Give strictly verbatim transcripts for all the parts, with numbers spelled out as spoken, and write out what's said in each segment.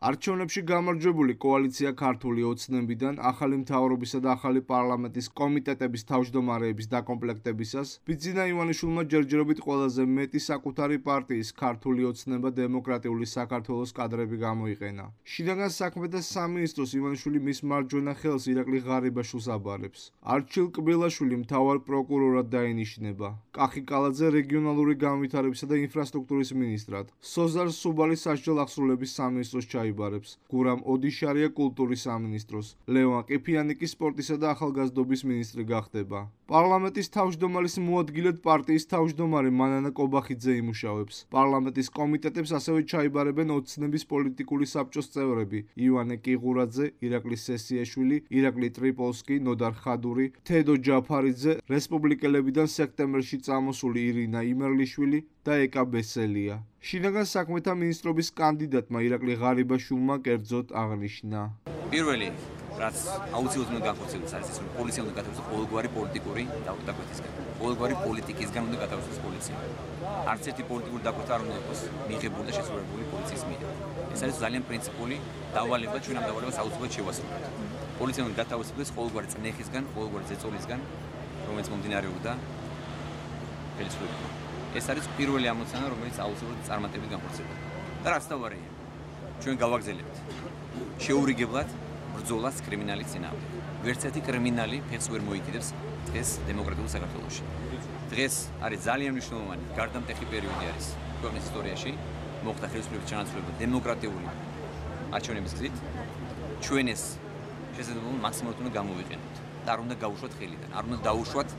არჩევნებში გამარჯვებული კოალიცია ქართული ოცნებიდან ახალი მთავრობისა და ახალი პარლამენტის კომიტეტების თავმჯდომარეების დაკომპლექტებისას ბიძინა ივანიშვილმა ჯერჯერობით ყველაზე მეტი საკუთარი პარტიის ქართული ოცნება დემოკრატიული საქართველოს კადრები გამოიყენა. შინაგან საქმეთა სამინისტროს ივანიშვილი მის მარჯვენა ხელს ირაკლი ღარიბაშვილს აბარებს. არჩილ კბილაშვილი მთავარ პროკურორად დაინიშნება. კახი კალაძე რეგიონალური განვითარებისა და ინფრასტრუქტურის მინისტრად. სოზარ სუბალი სასჯელ აღსრულების სამინისტროს ჩაიბარებს. გურამ ოდიშარია კულტურის სამინისტროს. ლევან ყიფიანი კი სპორტისა და ახალგაზრდობის მინისტრი გახდება. პარლამენტის თავმჯდომარის მოადგილედ პარტიის თავმჯდომარე მანანა კობახიძე იმუშავებს. პარლამენტის კომიტეტებს ასევე ჩაიბარებენ ოცნების პოლიტიკური საბჭოს წევრები: ივანე კიღურაძე, ირაკლი სესიაშვილი, ირაკლი ტრიპოლსკი, ნოდარ ხადური, თედო ჯაფარიძე, რესპუბლიკელებიდან სექტემბერში წამოსული ირინა იმერლიშვილი და ეკა ბესელია. შინაგან საქმეთა მინისტრობის კანდიდატმა ირაკლი ღარიბაშვილმა კერძოდ აღნიშნა. პირველი, რაც აუცილებლად უნდა განხორციელდეს, არის ის, რომ პოლიცია უნდა გადაუხადოს ყოველგვარი პოლიტიკური დაკვეთისგან. ყოველგვარი პოლიტიკისგან უნდა გადაუხადოს პოლიცია. არც ერთი პოლიტიკური დაკვეთა არ უნდა იყოს მიღებული და შესრულებული პოლიციის მიერ. ეს არის ძალიან პრინციპული დავალება, ჩვენ ამ დავალებას აუცილებლად შევასრულებთ. პოლიცია უნდა გადაუხადოს ყოველგვარი წნეხისგან, ყოველგვარი ზეწოლისგან, რომელიც მომდინარეობდა ხელისუფლებიდან. ეს არის პირველი ამოცანა, რომელიც აუცილებლად წარმატებით განხორციელდება. და რაც თავარია, ჩვენ გავაგზავნებთ შეურიგებლად ბრძოლას კრიმინალის წინააღმდეგ. ვერც ერთი კრიმინალი ფეხს ვერ მოიკიდებს დღეს დემოკრატიულ საქართველოში. დღეს არის ძალიან მნიშვნელოვანი გარდამტეხი პერიოდი არის ქვეყნის ისტორიაში, მოხდა ხელისუფლების ჩანაცვლება დემოკრატიული არჩევნების გზით. ჩვენ ეს შესაძლებლობა მაქსიმალურად უნდა გამოვიყენოთ და არ უნდა გაუშვათ ხელიდან, არ უნდა დაუშვათ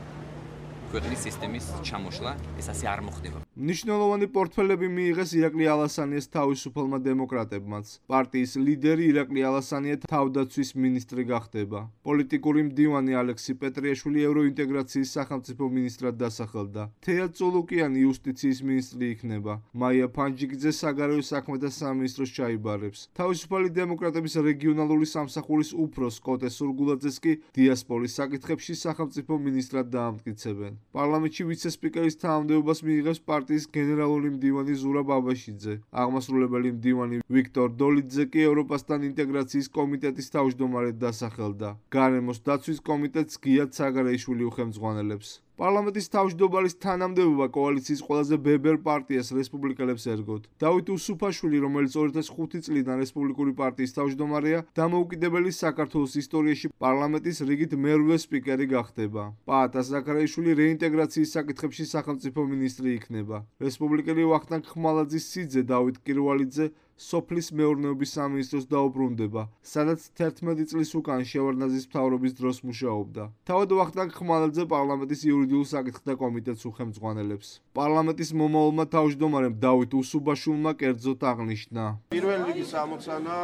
ქვეყნის სისტემის ჩამოშლა, ეს ასე არ მოხდება. მნიშვნელოვანი პორტფელები მიიღეს ირაკლი ალასანიას თავისუფალმა დემოკრატებმაც. პარტიის ლიდერი ირაკლი ალასანია თავდაცვის მინისტრი გახდება. პოლიტიკური მდივანი ალექსი პეტრიაშვილი ევროინტეგრაციის სახელმწიფო მინისტრად დასახელდა. თეა წულუკიანი იუსტიციის მინისტრი იქნება. მაია ფანჯიგიძე საგარეო საქმეთა სამინისტროს ჩაიბარებს. თავისუფალი დემოკრატების რეგიონალური სამსახურის უფროს კოტე სურგულაძეს კი დიასპორის საკითხებში სახელმწიფო მინისტრად დაამტკიცებენ. პარლამენტში ვიცე-სპიკერის თანამდებობას მიიღებს პარტიის გენერალური მდივანი ზურაბ აბაშიძე. აღმასრულებელი მდივანი ვიქტორ დოლიძე კი ევროპასთან ინტეგრაციის კომიტეტის თავმჯდომარედ დასახელდა. გარემოს დაცვის კომიტეტს გია ცაგარეიშვილი უხელმძღვანელებს. პარლამენტის თავმჯდომარის თანამდებობა კოალიციის ყველაზე ბებერ პარტიას რესპუბლიკელებს ერგოთ. დავით უსუფაშვილი, რომელიც ორი ათას ხუთი წლიდან რესპუბლიკური პარტიის თავმჯდომარეა, დამოუკიდებელი საქართველოს ისტორიაში პარლამენტის რიგით მერვე სპიკერი გახდება. პაატა ზაქარაიშვილი რეინტეგრაციის საკითხებში სახელმწიფო მინისტრი იქნება. რესპუბლიკელი ვახტანგ ხმალაძის სიძე დავით კირვალიძე სოფლის მეურნეობის სამინისტროს დაუბრუნდება, სადაც თერთმეტი წლის უკან შევარდნაძის მთავრობის დროს მუშაობდა. თავად ვახტანგ ხმალაძე პარლამენტის იურიდიულ საკითხთა კომიტეტს უხელმძღვანელებს. პარლამენტის მომავალმა თავმჯდომარემ დავით უსუბაშვილმა კერძოდ აღნიშნა. პირველი რიგის ამოცანა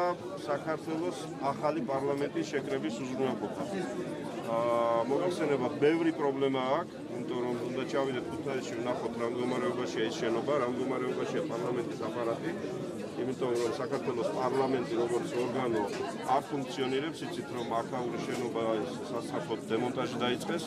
საქართველოს ახალი პარლამენტის შეკრების უზრუნველყოფა. მოგახსენებათ, ბევრი პრობლემა აქვს, იმიტომ რომ უნდა ჩავიდეთ ქუთაისში ვნახოთ რა მდგომარეობაშია ეს შენობა, რა მდგომარეობაშია პარლამენტის აპარატი. იმიტომ რომ საქართველოს პარლამენტი როგორც ორგანო არ ფუნქციონირებს, იცით რომ აქაური შენობა სასწრაფოდ დემონტაჟი დაიწყეს.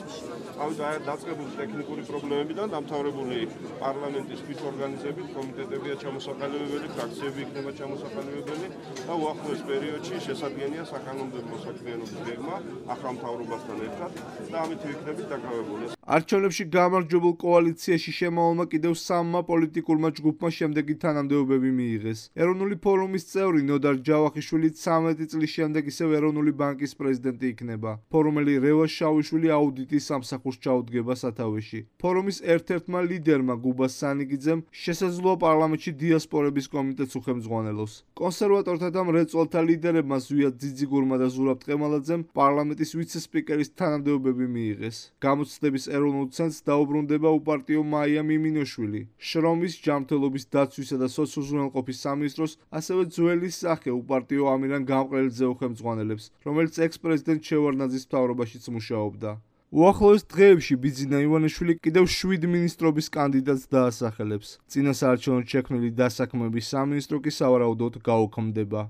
ამიტომ დაწყებული ტექნიკური პრობლემებიდან დამთავრებული პარლამენტის თვითორგანიზებით კომიტეტებია ჩამოსაყალიბებელი, ფრაქციები იქნება ჩამოსაყალიბებელი და უახლოეს პერიოდში შესაძლებელია საკანონმდებლო საქმიანობის გეგმა ახალ მთავრობასთან ერთად და ამით ვიქნებით დაკავებული. არჩევნებში გამარჯვებულ კოალიციაში შემავალმა კიდევ სამმა პოლიტიკურმა ჯგუფმა შემდეგი თანამდებობები მიიღეს. ეროვნული ფორუმის წევრი ნოდარ ჯავახიშვილი ცამეტი წლის შემდეგ ისევ ეროვნული ბანკის პრეზიდენტი იქნება. ფორუმელი რევაზ შავიშვილი აუდიტის სამსახურს ჩაუდგება სათავეში. ფორუმის ერთ-ერთმა ლიდერმა გუბა სანიგიძემ შესაძლოა პარლამენტში დიასპორების კომიტეტს უხელმძღვანელოს. კონსერვატორთა და მრეწველთა ლიდერებმა ზვია ძიძიგურმა და ზურაბ ტყემალაძემ პარლამენტის ვიცე-სპიკერის თანამდებობები მიიღეს. გამოცდების ეროვნულ ცენტრს დაუბრუნდება უპარტიო მაია მიმინოშვილი. შრომის, ჯანმრთელობის დაცვისა და სოციალურყოფის სამინისტროს ასევე ძველი სახე უპარტიო ამირან გამყრელიძე უხელმძღვანელებს, რომელიც ექს-პრეზიდენტ შევარდნაძის მთავრობაშიც მუშაობდა. უახლოეს დღეებში ბიძინა ივანიშვილი კიდევ შვიდ მინისტრობის კანდიდატს დაასახელებს. წინასაარჩევნო შექმნილი დასაქმების სამინისტრო კი სავარაუდოდ გაუქმდება.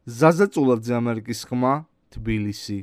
ზაზა წულაძე, ამერიკის ხმა, თბილისი.